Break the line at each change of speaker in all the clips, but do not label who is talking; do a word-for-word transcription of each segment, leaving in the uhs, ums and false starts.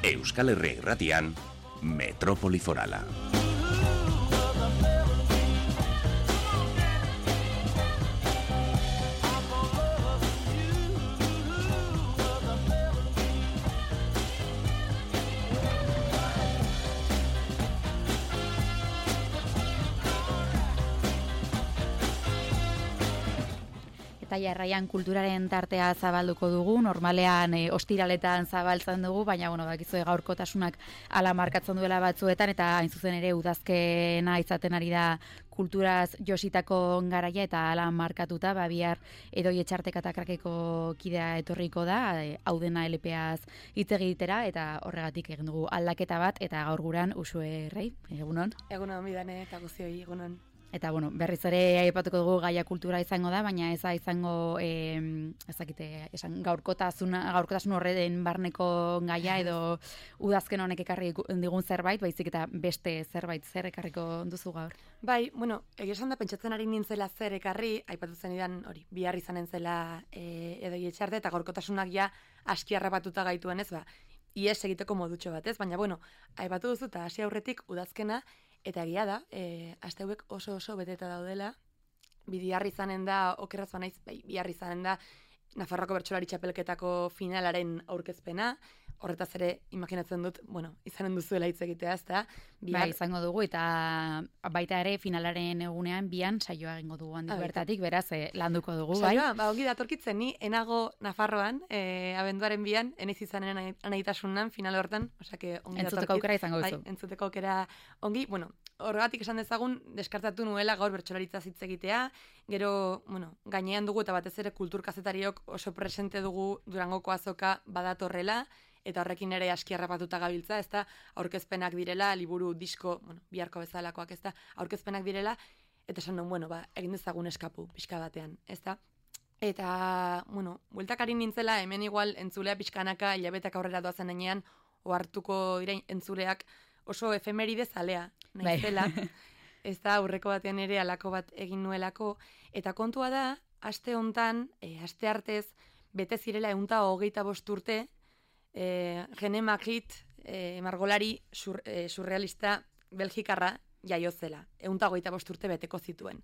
Euskal Herria Irratian, Metrópoli Forala.
Eta jarraian kulturaren tartea zabalduko dugu, normalean e, ostiraletan zabaltzen dugu, baina bueno, bakizue gaurkotasunak ala markatzen duela batzuetan, eta hain zuzen ere udazkena izaten ari da kulturaz jositako garaia, eta ala markatuta, ba, bihar Edoi Etxarteka eta Krakeko kidea etorriko da, e, hau dena L P Az hitz egitera, eta horregatik egin dugu aldaketa bat, eta gaur guran Uxue Rei, egunon?
Egunon, midane, eta guzioi, egunon.
Eta, bueno, berriz ere aipatuko dugu gaia kultura izango da, baina ez da izango, eh, ezakite, esan gaurkotasuna, gaurkotasun horren barneko gaia edo udazken honek ekarri digun zerbait, baizik eta beste zerbait zer ekarriko duzu gaur.
Bai, bueno, egia esan da pentsatzen ari nintzela zer ekarri, aipatu zen idan, hori, bihar izanen zela e, Edoi Etxarte, eta gaurkotasunak ja aski harrapatuta gaituen ez, ba, ies egiteko modutxo bat ez, baina, bueno, aipatu duzu eta hasi aurretik udazkena, eta egia da, e, aste hauek oso oso beteta daudela, bihar izanen da, okerraz banaiz, bai, bihar izanen da, Nafarroako Bertsolari Txapelketako finalaren aurkezpena, horretaz ere imaginatzen dut, bueno, izanen duzuela hitz egitea, ezta?
Bihar... Bai, izango dugu, eta baita ere finalaren egunean bian saioa egingo dugu handik bertatik, beraz, eh, landuko dugu, bai?
Saioa, ba, ongi datorkitzen, ni enago Nafarroan, eh, abenduaren bian, enez izanen anaitasunan final hortan, osake ongi datorkit.
Entzuteko aukera izango duzu.
Bai, entzuteko aukera ongi, bueno, horregatik esan dezagun, deskartatu nuela gaur bertsolaritza hitz egitea, gero, bueno, gainean dugu eta batez ere kulturkazetariok oso presente dugu Durangoko azoka badatorrela, eta horrekin ere aski harrapatuta gabiltza, ezta, aurkezpenak direla, liburu, disko, bueno, biharko bezalakoak, ezta, aurkezpenak direla, eta esan duen, bueno, ba, egin dezagun eskapu, pixka batean, ezta. Eta, bueno, bueltakari nintzela, hemen igual entzulea pixkanaka, hilabetak aurrera doazen enean, ohartuko direin entzuleak oso efemeride zalea, naizela, ez da, aurreko batean ere alako bat egin nuelako, eta kontua da, aste hontan, e, aste artez, bete zirela ehunta hogeita bost urte, e, René Magritte, e, margolari sur, e, surrealista belgikarra jaiozela, ehunta hogeita bost urte beteko zituen.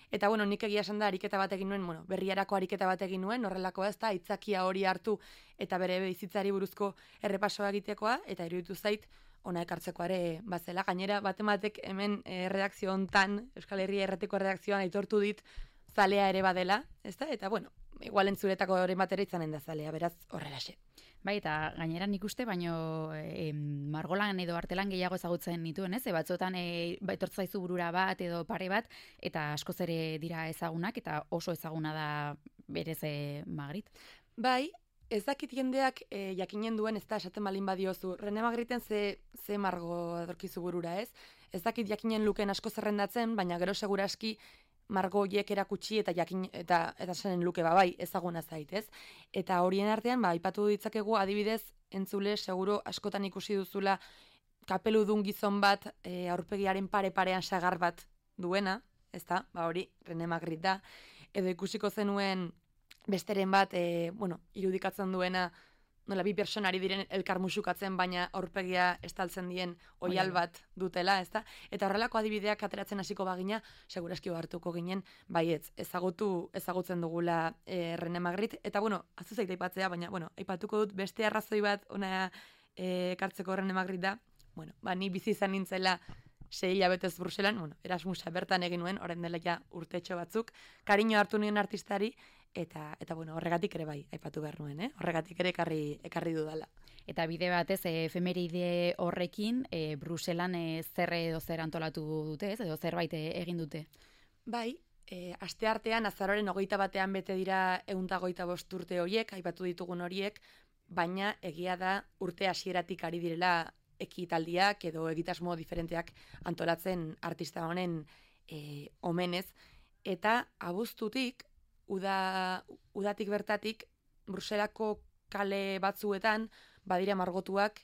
Eta, bueno, nik egia esan da, ariketa bat egin nuen, bueno, berriarako ariketa bat egin nuen, horrelako ez da, aitzakia hori hartu, eta bere bizitzari buruzko errepasoa egitekoa, eta iruditu zait, ona ekartzeko ere bazela. Gainera, batematek hemen e, redakzio hontan, Euskal Herria Erratiko redakzioan aitortu dit, zalea ere badela, ez da? Eta, bueno, igual entzuretako horren batera izanen da zalea, beraz, horrelaxe.
Bai, eta gainera nik uste, baino e, margolan edo artelan gehiago ezagutzen nituen, ez? E, batzuetan e, etortzaizu burura bat edo pare bat, eta askoz ere dira ezagunak, eta oso ezaguna da berez e, Magritte.
Bai, ez dakit jendeak e, jakinen duen, ez da, esaten balin badiozu, René Magritten ze, ze margo adorkizu burura, ez? Ez dakit jakinen luken asko zerrendatzen, baina gero seguraski margo hiek erakutsi eta jakin eta eta zenen luke ba bai ezaguna zait, ez? Eta horien artean ba aipatu ditzakegu adibidez entzule seguro askotan ikusi duzula kapeludun gizon bat e, aurpegiaren pare-parean sagar bat duena, ezta? Ba hori René Magritte da, edo ikusiko zenuen besteren bat e, bueno, irudikatzen duena nola bi personari diren elkar musukatzen, baina aurpegia estaltzen dien oial bat dutela, ezta? Eta horrelako adibideak ateratzen hasiko bagina, seguraski hartuko ginen, baietz, ezagutu, ezagutzen dugula e, René Magritte, eta bueno, azu zait aipatzea, baina bueno, aipatuko dut beste arrazoi bat ona e, ekartzeko René Magritte da, bueno, ba, ni bizi izan nintzela sei hilabetez Bruselan, bueno, Erasmusa bertan egin nuen, orain dela ja urtetxo batzuk, kariño hartu nuen artistari, eta eta bueno, horregatik ere bai, aipatu behar nuen, eh? Horregatik ere ekarri, ekarri dudala.
Eta bide batez, e, efemeride horrekin, e, Bruselan e, zer edo zer antolatu dute, ez? Edo zerbait egin dute?
Bai, e, aste artean, azaroren hogeita batean bete dira ehunta hogeita bost urte horiek, aipatu ditugun horiek, baina egia da urte hasieratik ari direla ekitaldiak edo egitasmo diferenteak antolatzen artista honen e, omenez, eta abuztutik, uda, udatik bertatik, Bruselako kale batzuetan, badira margotuak,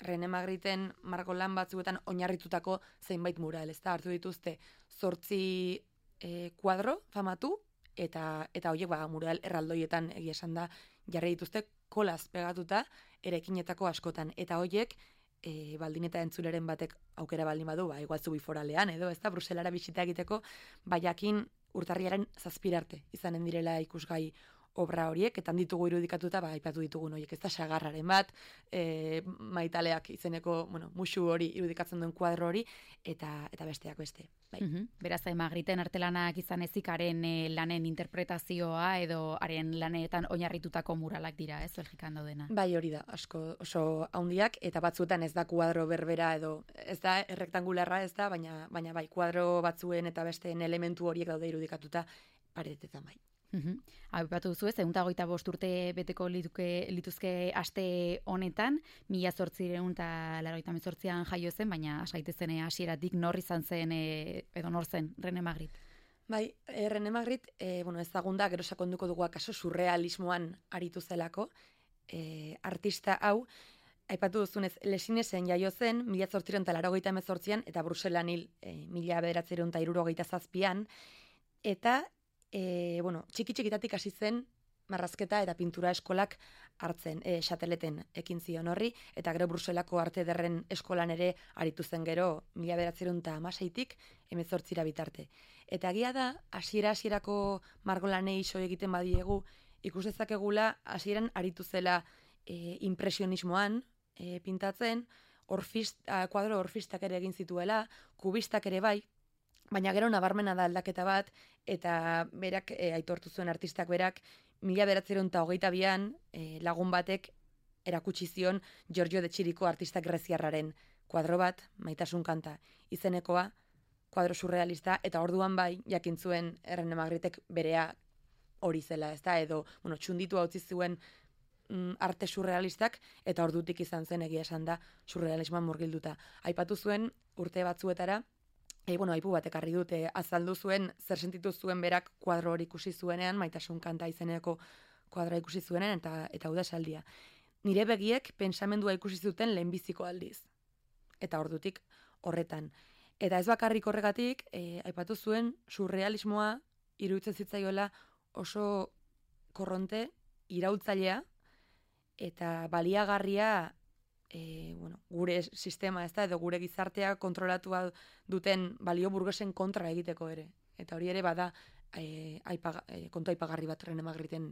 René Magritten margolan batzuetan oinarritutako zeinbait mural, ez da, hartu dituzte zortzi e, kuadro famatu, eta eta horiek ba, mural erraldoietan egia esan da jarri dituzte kolaz pegatuta eraikinetako askotan. Eta hoiek, e, baldin eta entzuleren batek aukera baldin badu, ba, igual Zubiforalean edo, ez da, Bruselara bisita egiteko, baiakin urtarriaren zazpirarte izanen direla ikusgai obra horiek, eta ditugu irudikatuta, ba, aipatu ditugun horiek, ez da, sagarraren bat, e, maitaleak izeneko, bueno, musu hori irudikatzen duen kuadro hori, eta eta besteak beste. Bai.
Mm-hmm. Beraz, Magriten artelanak izan ezik haren e, lanen interpretazioa edo haren lanetan oinarritutako muralak dira, ez, Belgikan daudena.
Bai, hori da, asko oso handiak, eta batzuetan ez da kuadro berbera edo, ez da errektangularra ez da, baina, baina bai, kuadro batzuen eta besteen elementu horiek daude irudikatuta paretetan bai.
Uhum. Aipatu duzu ez, ehun eta hogeita bost urte beteko lituke, lituzke aste honetan, mila zortziehun eta laurogeita hemezortzian jaio zen, baina asaitezen hasieratik nor izan zen e, edo nor zen René Magritte.
Bai, e, René Magritte, e, bueno, ezagunda, gero sakonduko dugu akaso surrealismoan aritu zelako, e, artista hau, aipatu duzunez, Lesinesen jaio zen, mila zortziehun eta laurogeita hemezortzian, eta Bruselan hil, e, mila bederatziehun eta hirurogeita zazpian, eta E, bueno, txiki txikitatik hasi zen marrazketa eta pintura eskolak hartzen, e, Xateleten ekin zion horri, eta gero Bruselako arte ederren eskolan ere aritu zen gero mila bederatziehun eta hamaseitik hemezortzira bitarte. Eta egia da, hasiera hasierako margolanei iso egiten badiegu, ikus dezakegula hasieran aritu zela e, impresionismoan e, pintatzen, orfist, a, kuadro orfistak ere egin zituela, kubistak ere bai, baina gero nabarmena da aldaketa bat, eta berak, e, aitortu zuen artistak berak, mila bederatziehun eta hogeita bian e, lagun batek erakutsi zion Giorgio de Chirico artista greziarraren kuadro bat, Maitasun kanta izenekoa, kuadro surrealista, eta orduan bai, jakin zuen René Magrittek berea hori zela, ez da, edo, bueno, txunditu utzi zuen mm, arte surrealistak, eta ordutik izan zen egia esan da surrealismoan murgilduta. Aipatu zuen urte batzuetara, E, bueno, aipu batek harri dute, azaldu zuen, zer sentitu zuen berak kuadro hori ikusi zuenean, Maitasun kanta izeneko kuadroa ikusi zuenean, eta eta hau da esaldia. Nire begiek pentsamendua ikusi zuten lehenbiziko aldiz. Eta ordutik horretan. Eta ez bakarrik horregatik, e, aipatu zuen, surrealismoa iruditzen zitzaiola oso korronte, iraultzailea, eta baliagarria E, bueno, gure sistema, ez da, edo gure gizartea kontrolatua duten balio burgesen kontra egiteko ere. Eta hori ere bada e, aipaga, e, kontu aipagarri bat René Magritten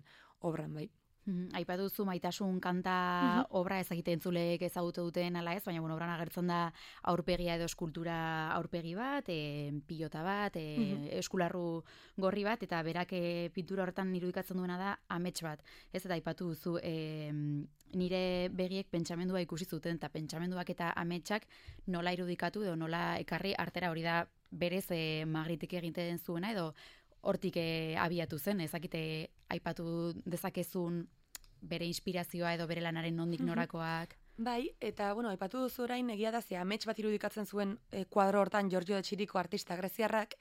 obran bai.
Mm, aipatu duzu Maitasun kanta
Mhm.
obra ezagite entzuleek ezagutu duten ala ez, baina bueno, obran agertzen da aurpegia edo eskultura aurpegi bat, e, pilota bat, e,
Mhm.
eskularru gorri bat, eta berak e, pintura horretan irudikatzen duena da amets bat. Ez, eta aipatu duzu e, nire begiek pentsamendua ikusi zuten, eta pentsamenduak eta ametsak nola irudikatu edo nola ekarri artera, hori da berez e, Magrittek egiten zuena, edo hortik e, abiatu zen, ezakite aipatu dezakezun bere inspirazioa edo bere lanaren nondik norakoak.
Bai, eta bueno, aipatu duzu orain egia da ze amets bat irudikatzen zuen e, kuadro hortan Giorgio de Chirico artista greziarrak,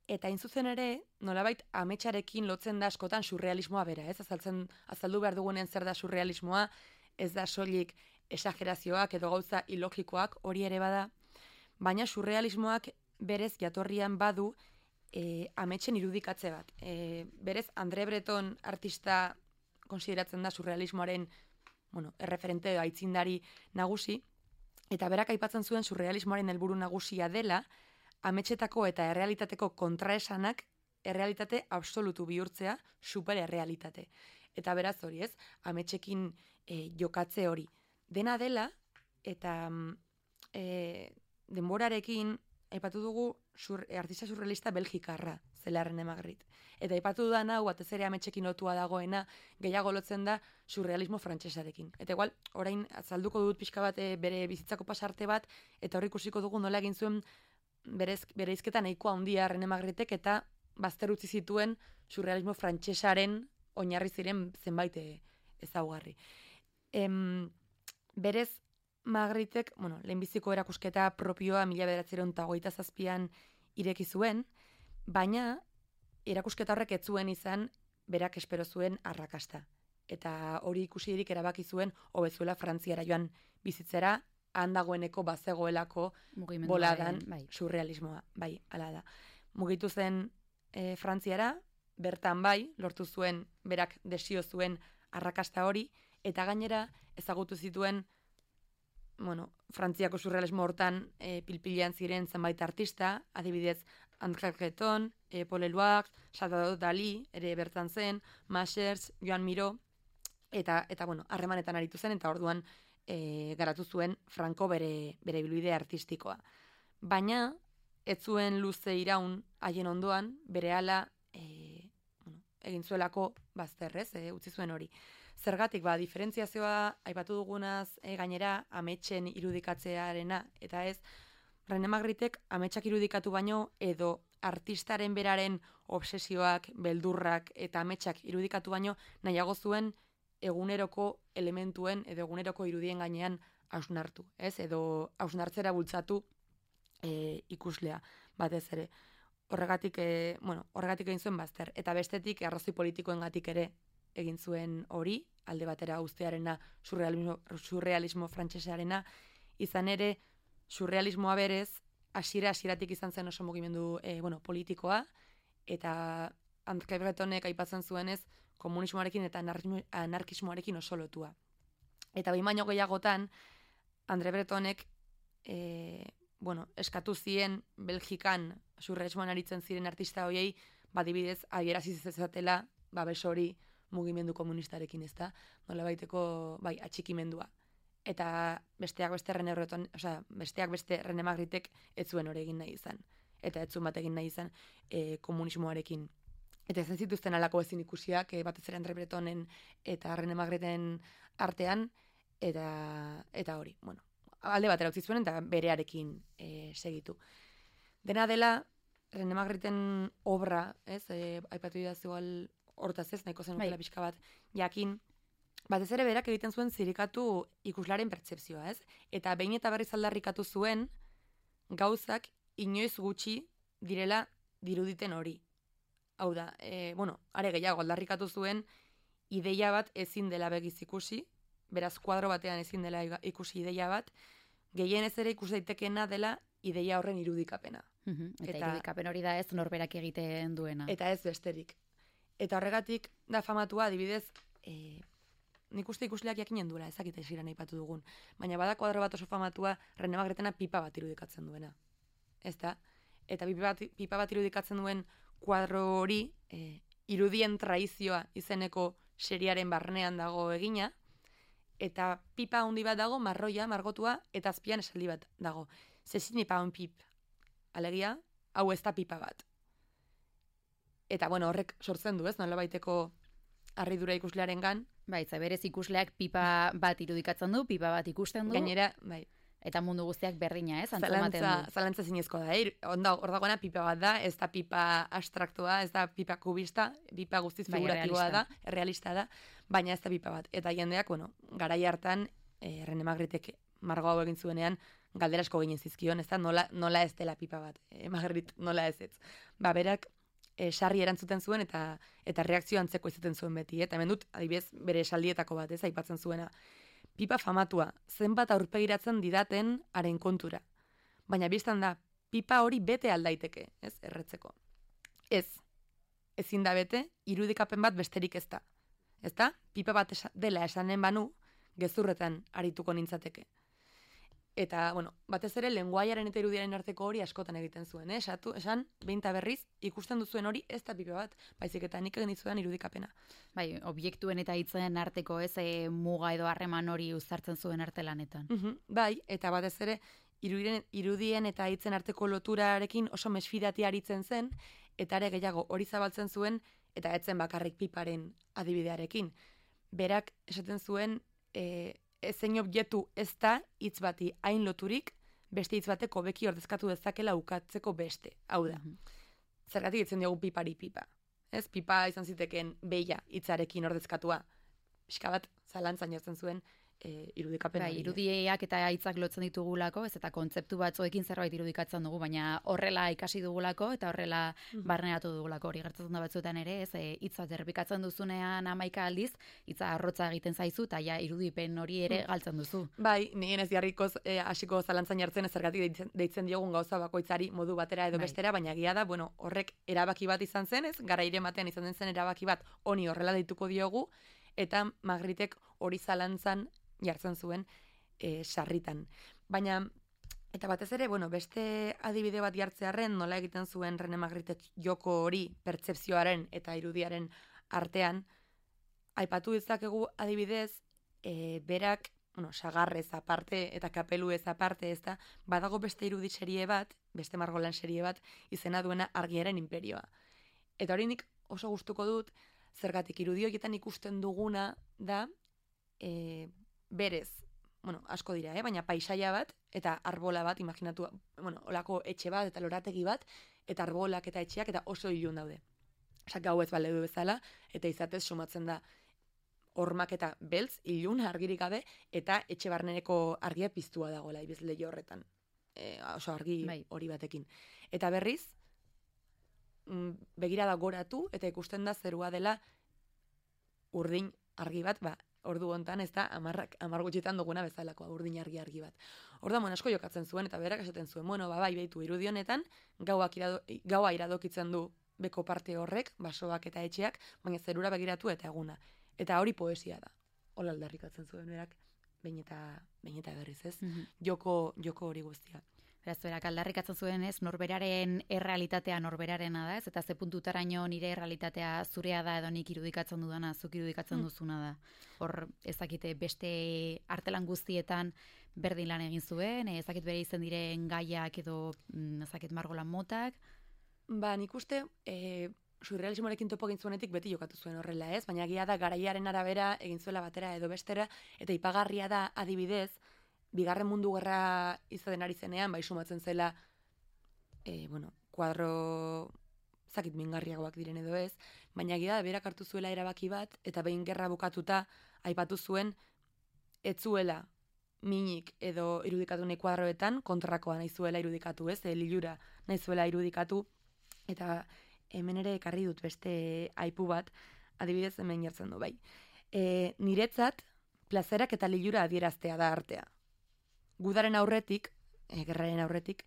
eta hain zuzen ere, nolabait ametsarekin lotzen da askotan surrealismoa bera, ez? Azaltzen, azaldu behar dugunen zer da surrealismoa, ez da soilik esagerazioak edo gauza ilogikoak, hori ere bada, baina surrealismoak berez jatorrian badu e, ametsen irudikatze bat. E, berez, André Breton artista konsideratzen da surrealismoaren, bueno, erreferente aitzindari nagusi, eta berak aipatzen zuen surrealismoaren helburu nagusia dela, ametsetako eta errealitateko kontraesanak errealitate absolutu bihurtzea super errealitate. Eta beraz hori ez, ametsekin e, jokatze hori. Dena dela, eta e, denborarekin, aipatu dugu sur, artista surrealista belgikarra, zela René Magritte. Eta aipatu dudan hau, batez ere ametsekin lotua dagoena, gehiago lotzen da surrealismo frantsesarekin. Eta igual, orain azalduko dut pixka bat e, bere bizitzako pasarte bat, eta hor ikusiko dugu nola egin zuen berez, bere izketan nahikoa handia René Magrittek, eta bazter utzi zituen surrealismo frantsesaren oinarri ziren zenbait ezaugarri. Em, berez, Magrittek, bueno, lehenbiziko erakusketa propioa mila bederatziehun eta hogeita zazpian ireki zuen, baina erakusketa horrek ez zuen izan berak espero zuen arrakasta. Eta hori ikusirik erabaki zuen hobezuela Frantziara joan bizitzera, handagoeneko bazegoelako boladan
bai.
surrealismoa. Bai, hala da. Mugitu zen e, Frantziara, bertan bai, lortu zuen, berak desio zuen arrakasta hori, Eta gainera, ezagutu zituen, bueno, Frantziako surrealismo hortan e, pilpilean ziren zenbait artista, adibidez, André Breton, e, Paul Eluard, Salvador Dalí, ere bertan zen, Machers, Joan Miró, eta, eta bueno, harremanetan aritu zen, eta orduan e, garatu zuen Franco bere, bere ibilbide artistikoa. Baina, ez zuen luze iraun haien ondoan, berehala e, bueno, egin zuelako bazterrez, e, utzi zuen hori. Zergatik, ba, diferentziazioa aipatu dugunaz e, gainera ametsen irudikatzearena, eta ez, René Magritek ametsak irudikatu baino edo artistaren beraren obsesioak, beldurrak eta ametsak irudikatu baino nahiago zuen eguneroko elementuen edo eguneroko irudien gainean hausnartu, ez? Edo hausnartzera bultzatu e, ikuslea batez ere. Horregatik, e, bueno, horregatik egin zuen bazter. Eta bestetik, arrazoi politikoengatik ere egin zuen hori, alde batera uztearena surrealismo, surrealismo frantsesearena, izan ere, surrealismoa berez, hasiera hasieratik izan zen oso mugimendu e, bueno, politikoa, eta André Bretonek aipatzen zuenez, komunismoarekin eta anarkismoarekin oso lotua. Eta behin baino gehiagotan, André Bretonek e, bueno, eskatu zien Belgikan surrealismoan aritzen ziren artista hoiei, badibidez, adierazi zezatela, babes hori mugimendu komunistarekin, ez da? Nola baiteko, bai, atxikimendua. Eta besteak beste René Breton, osea, besteak beste René Magritek ez zuen hori egin nahi izan. Eta ez zuen bat egin nahi izan e, komunismoarekin. Eta ezin zituzten alako ezin ikusiak, e, batez ere André Bretonen eta René Magreten artean, eta, eta hori, bueno, alde batera utzi zuen eta berearekin e, segitu. Dena dela, René Magreten obra, ez, e, aipatu didaz igual hortaz ez, nahiko zenukela pixka bat, jakin, batez ere berak egiten zuen zirikatu ikuslaren pertzepzioa, ez? Eta behin eta berriz aldarrikatu zuen gauzak inoiz gutxi direla diruditen hori. Hau da, e, bueno, are gehiago aldarrikatu zuen ideia bat ezin dela begiz ikusi, beraz kuadro batean ezin dela ikusi ideia bat, gehienez ere ikus daitekeena dela ideia horren irudikapena.
Uhum, eta, eta irudikapen hori da ez norberak egiten duena.
Eta ez besterik. Eta horregatik da famatua, adibidez, e, nik uste ikusleak jakinen duela, ezakita esiran aipatu dugun. Baina bada kuadro bat oso famatua, René Magretena pipa bat irudikatzen duena. Ez da? Eta pipa bat, pipa bat irudikatzen duen kuadro hori, e, irudien traizioa izeneko seriaren barnean dago egina, eta pipa handi bat dago, marroia, margotua, eta azpian esaldi bat dago. Ceci n'est pas un pip. Alegia, hau ez da pipa bat. Eta, bueno, horrek sortzen du, ez? Nola baiteko harridura ikuslearengan.
Bai, berez ikusleak pipa bat irudikatzen du, pipa bat ikusten du.
Gainera, bai.
Eta mundu guztiak berdina, ez? Antzematen du.
Zalantza zinezko da, eh? Onda, hor dagoena pipa bat da, ez da pipa abstraktua, ez da pipa kubista, pipa guztiz figuratiboa da, realista da, baina ez da pipa bat. Eta jendeak, bueno, garai hartan, eh, René Magritek margo hau egin zuenean, galdera asko ginen zizkion, ez da, nola, nola ez dela pipa bat. Eh, Magrit, nola ez ez. Ba, berak, E, sarri erantzuten zuen eta eta reakzio antzeko izaten zuen beti, eta hemen dut adibidez bere esaldietako bat, ez, aipatzen zuena. Pipa famatua, zenbat aurpegiratzen didaten haren kontura. Baina biztan da, pipa hori bete aldaiteke, ez, erretzeko. Ez, ezin da bete, irudikapen bat besterik ez da. Ez da, pipa bat esa, dela esanen banu, gezurretan arituko nintzateke. Eta, bueno, batez ere, lenguaiaren eta irudiaren arteko hori askotan egiten zuen, eh? Esatu, esan, behin eta berriz, ikusten duzuen hori ez da pipa bat, baizik eta nik egin dizudan irudikapena.
Bai, objektuen eta hitzen arteko ez e, muga edo harreman hori uztartzen zuen artelanetan.
Uh-huh, bai, eta batez ere, irudien, irudien eta hitzen arteko loturarekin oso mesfidati aritzen zen, eta ere gehiago hori zabaltzen zuen, eta etzen bakarrik piparen adibidearekin. Berak esaten zuen, e, ezein objektu ez da hitz bati hain loturik, beste hitz bateko beki ordezkatu dezakela ukatzeko beste. Hau da. Mm-hmm. Zergatik ditzen diogu pipari pipa. Ez, pipa izan ziteken beia hitzarekin ordezkatua. Pixka bat zalantzan jartzen zuen e, irudikapen
bai, irudiak eta hitzak lotzen ditugulako, ez eta kontzeptu batzuekin zerbait irudikatzen dugu, baina horrela ikasi dugulako eta horrela mm-hmm. barneratu dugulako. Hori gertatzen da batzuetan ere, ez hitza errepikatzen duzunean hamaika aldiz, hitza arrotza egiten zaizu eta ja irudipen hori ere galtzen duzu.
Bai, nien ez jarrikoz e, hasiko zalantzan jartzen ez zergatik deitzen, deitzen diogun gauza bakoitzari modu batera edo bai. Bestera, baina egia da, bueno, horrek erabaki bat izan zen, ez? Garaire batean izan den zen erabaki bat honi horrela deituko diogu, eta Magritek hori zalantzan jartzen zuen e, sarritan. Baina, eta batez ere, bueno, beste adibide bat jartzearren nola egiten zuen René Magritek joko hori pertzepzioaren eta irudiaren artean, aipatu dezakegu adibidez, e, berak, bueno, sagarrez aparte eta kapeluez aparte, ez da, badago beste irudi serie bat, beste margolan serie bat, izena duena Argiaren Inperioa. Eta hori nik oso gustuko dut, zergatik irudi horietan ikusten duguna da, e, berez, bueno, asko dira, eh? Baina paisaia bat, eta arbola bat, imaginatu, bueno, olako etxe bat, eta lorategi bat, eta arbolak eta etxeak, eta oso ilun daude. Osa, gau ez baleu bezala, eta izatez sumatzen da hormak eta beltz, ilun, argirik gabe, eta etxe barneneko argia piztua dagoela, ibiz leio horretan. E, oso argi
bai.
hori batekin. Eta berriz, begirada goratu, eta ikusten da zerua dela urdin argi bat, ba, ordu hontan ez da amarrak, amar gutxitan duguna bezalakoa, urdin argi argi bat. Orda, bueno, asko jokatzen zuen, eta berak esaten zuen, bueno, ba, bai, behitu irudionetan, gauak irado, gaua iradokitzen du beko parte horrek, basoak eta etxeak, baina zerura begiratu eta eguna. Eta hori poesia da. Hola aldarrikatzen zuen berak, behin eta, behin eta berriz, ez? Mm-hmm. Joko, joko hori guztia.
Beraz, berak aldarrikatzen zuen, ez, norberaren errealitatea norberarena da, ez, eta ze puntutaraino nire errealitatea zurea da edo nik irudikatzen dudana, zuk irudikatzen mm. duzuna da. Hor, ezakite, beste artelan guztietan berdin lan egin zuen, ezakit bere izen diren gaiak edo ezakit margolan motak.
Ba, nik uste, e, surrealismoarekin topo egin zuenetik beti jokatu zuen horrela, ez? Baina egia da garaiaren arabera egin zuela batera edo bestera, eta ipagarria da adibidez, Bigarren Mundu Gerra izaten ari zenean, bai sumatzen zela, e, bueno, kuadro zakit mingarriagoak diren edo ez, baina egia da berak hartu zuela erabaki bat, eta behin gerra bukatuta aipatu zuen, ez zuela minik edo irudikatu nahi kuadroetan, kontrakoa nahi zuela irudikatu, ez? E, lilura nahi zuela irudikatu, eta hemen ere ekarri dut beste aipu bat, adibidez hemen jartzen du, bai. E, niretzat, plazerak eta lilura adieraztea da artea. Gudaren aurretik, e, gerraren aurretik,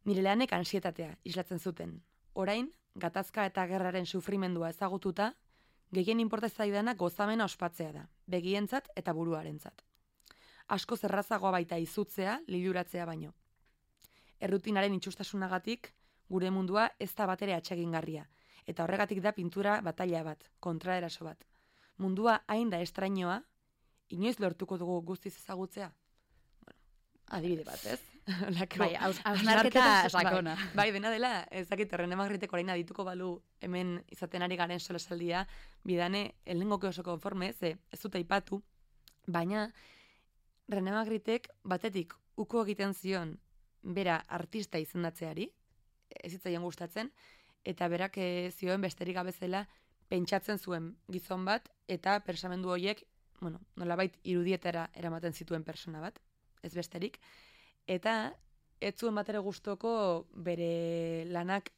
nire lanek ansietatea islatzen zuten. Orain, gatazka eta gerraren sufrimendua ezagututa, gehien inporta zaidana gozamena ospatzea da, begientzat eta buruarentzat. Asko zerrazagoa baita izutzea, liluratzea baino. Errutinaren itxustasunagatik, gure mundua ez da batere atsegingarria, eta horregatik da pintura bataila bat, kontraeraso bat. Mundua hain da estrainoa, inoiz lortuko dugu guztiz ezagutzea? Adibide bat, ez?
Bai, hausnarketa sakona.
Bai, bai, dena dela, ezakit, René Magritek orain adituko balu hemen izaten ari garen solasaldia, bidane, elengoke oso konforme, ze ez dut aipatu, baina René Magritek batetik uko egiten zion bera artista izendatzeari, ez zitzaion gustatzen, eta berak zioen besterik gabezela pentsatzen zuen gizon bat, eta persamendu horiek, bueno, nolabait irudietara eramaten zituen persona bat, ez besterik, eta ez zuen bat ere gustoko bere lanak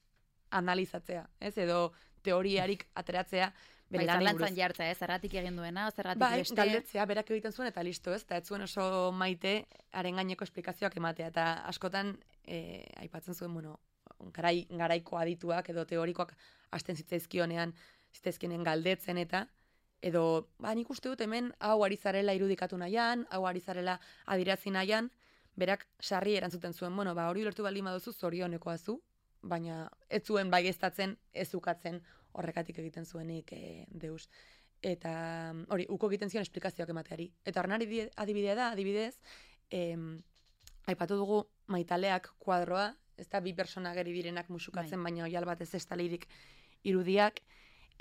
analizatzea, ez, edo teoriarik ateratzea bere lanei buruz.
Zalantzan jartzea, ez, zerratik egin duena, zerratik
bai,
beste.
Galdetzea, berak egiten zuen, eta listo, ez, eta ez zuen oso maite haren gaineko esplikazioak ematea, eta askotan, e, aipatzen zuen, bueno, garai, garaiko adituak edo teorikoak hasten zitzaizkionean, zitzaizkionen galdetzen eta, edo, ba, nik uste dut hemen hau ari zarela irudikatu nahian, hau ari zarela adirazi nahian, berak sarri erantzuten zuen, bueno, ba, hori ulertu baldin baduzu zorionekoa zu, baina ez zuen baieztatzen, ez ukatzen horrekatik egiten zuenik e, deus. Eta hori, uko egiten zion esplikazioak emateari. Eta horren adibidea da, adibidez, em, aipatu dugu maitaleak kuadroa, ez da bi persona geri direnak musukatzen, bai. Baina oial bat ez ez talirik irudiak,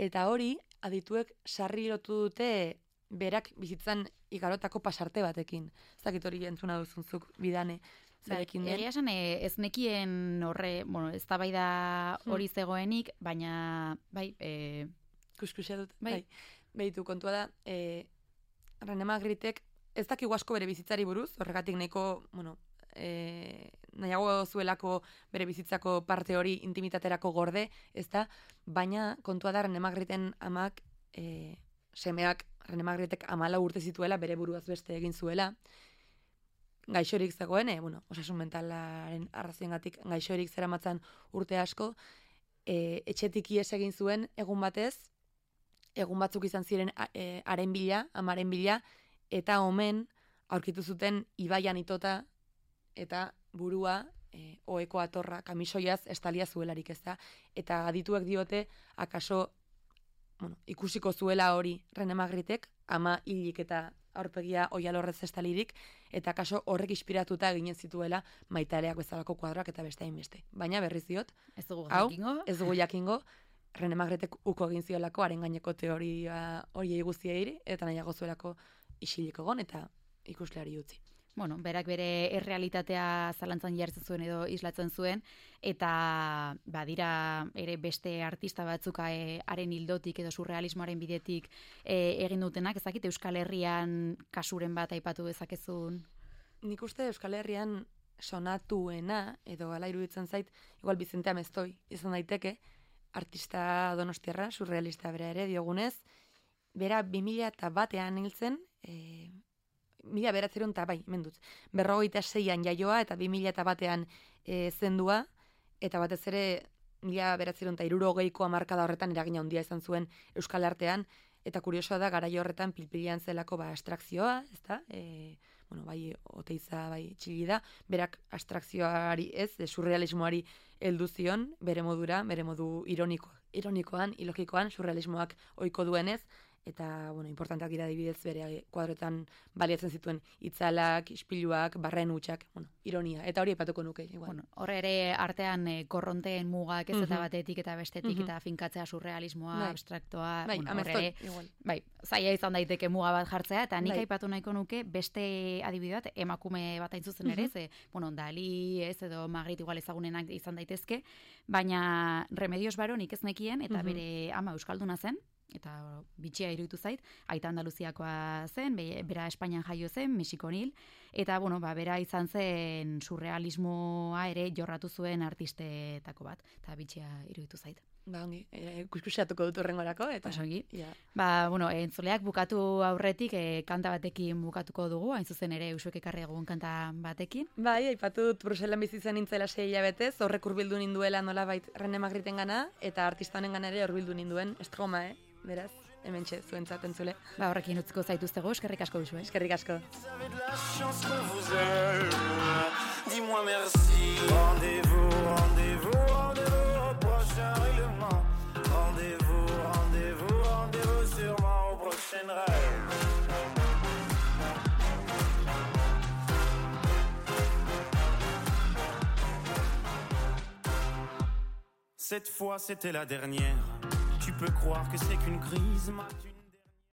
eta hori, adituek sarri lotu dute berak bizitzan igarotako pasarte batekin. Ez dakit hori entzuna duzunzuk bidane. Zarekin den.
Egia esan, ez nekien horre, bueno, ez da bai da hori zegoenik, baina, bai, e...
kuskusia dut, bai. bai. Behitu, kontua da, e, René Magritek ez dakigu asko bere bizitzari buruz, horregatik nahiko, bueno, e, nahiago zuelako bere bizitzako parte hori intimitaterako gorde, ez da, baina kontua da René Magriten amak, e, semeak René Magritek amala urte zituela, bere buruaz beste egin zuela, gaixorik zegoen, e, bueno, osasun mentalaren arrazoengatik gaixorik zeramatzan urte asko, e, etxetik ies egin zuen egun batez, egun batzuk izan ziren e, haren bila, amaren bila, eta omen aurkitu zuten ibaian itota eta burua e, oeko atorra, kamisoiaz estalia zuelarik, ez da? Eta adituek diote, akaso bueno, ikusiko zuela hori René Magritek, ama hilik eta aurpegia oialorrez estalirik, eta kaso horrek inspiratuta eginen zituela Maitareak bezalako kuadroak eta beste hainbeste. Baina berriz diot,
ez dugu
hau,
jakingo,
ez dugu jakingo, René Magritek uko egin ziolako haren gaineko teoria horiei guztiei eta nahiago zuelako isiliko gon eta ikusleari utzi.
Bueno, berak bere errealitatea zalantzan jartzen zuen edo islatzen zuen, eta badira ere beste artista batzuk e, haren hildotik edo surrealismoaren bidetik e, egin dutenak, ezakit Euskal Herrian kasuren bat aipatu dezakezun?
Nik uste Euskal Herrian sonatuena, edo ala iruditzen zait, igual Bizente Ameztoi izan daiteke, artista donostiarra, surrealista bera ere diogunez, bera bi mila eta batean hiltzen, e, mila beratzeron eta bai, mendut, berrogeita seian jaioa eta bi mila eta batean e, zendua, eta batez ere mila beratzeron eta hirurogeiko hamarkada horretan eragina handia izan zuen Euskal Artean, eta kuriosoa da garaio horretan pilpilian zelako ba abstrakzioa, ezta? E, bueno, bai Oteiza, bai Txillida, berak abstrakzioari ez, de surrealismoari heldu zion, bere modura, bere modu ironiko, ironikoan, ilogikoan, surrealismoak ohiko duenez, eta, bueno, importanteak dira adibidez bere kuadroetan baliatzen zituen itzalak, ispiluak, barren hutsak, bueno, ironia, eta hori aipatuko nuke, igual.
Bueno, horre ere artean e, korronteen mugak ez eta batetik eta bestetik
Mhm.
eta finkatzea surrealismoa,
Bai.
abstraktoa,
Bai,
bueno,
Ameztoi,
horre ere,
igual.
bai, zaila izan daiteke muga bat jartzea, eta nik
Bai.
aipatu nahiko nuke beste adibide bat, emakume bat hain zuzen ere, ze, bueno, Dali, ez, edo Magritte igual ezagunenak izan daitezke, baina Remedios Varo nik ez nekien, eta
Mhm.
bere ama euskalduna zen, eta bitxia iruditu zait, aita Andaluziakoa zen, be, bera Espainian jaio zen, Mexikon hil, eta, bueno, ba, bera izan zen surrealismoa ere jorratu zuen artistetako bat, eta bitxia iruditu zait.
Ba, ongi, e, kuskusiatuko dut horrengorako, eta...
Osongi.
Ja.
Ba, bueno, entzuleak bukatu aurretik e, kanta batekin bukatuko dugu, hain zuzen ere usuek ekarri egun kanta batekin.
Bai, aipatu dut Bruselan bizi zen nintzela sei hilabetez, horrek hurbildu ninduela nolabait René Magritten gana, eta artista honen gana ere hurbildu ninduen, estroma, eh? Beraz, hementxe zuentzat entzule.
Ba, horrekin utziko zaituztego, eskerrik asko duzu, eh?
Eskerrik asko.
Vous avez de la chance qu'on vous aime. Dis-moi merci. Rendez-vous, rendez-vous, rendez-vous au prochain règlement. Rendez-vous, rendez-vous, rendez-vous sûrement au prochain rêve. Cette fois, c'était la dernière. Tu peux croire que c'est qu'une crise, ma-